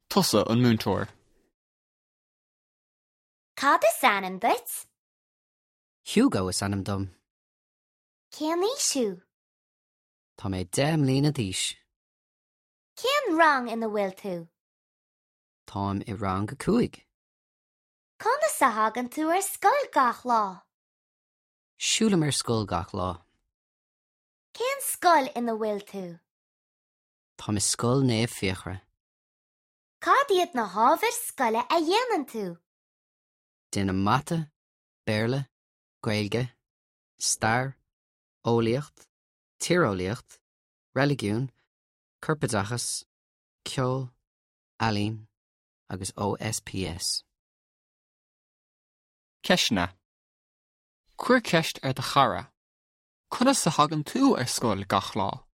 Tusa an múinteoir. Cad is ainm duit? Hugo is ainm dom. Cén aois thú? Tá mé 10 mbliana d'aois. Cén rang ina bhfuil tú? Táim i rang a 5. Conas a thagann tú ar scoil gach lá? Siúlaim ar scoil gach lá. Cén scoil ina bhfuil tú? Táim i Scoil Naomh Fiachra. Cad iad na hábhair scoile a dhéanann tú? Déanaim Mata, Béarla, Gaeilge, Stair, Eolaíocht, Tíreolaíocht, Reiligiún, Corpoideachas, Ceol, Ealaín agus OSPS. Ceisteanna. Cuir ceist ar do chara. Conas a thagann tú ar scoil gach lá?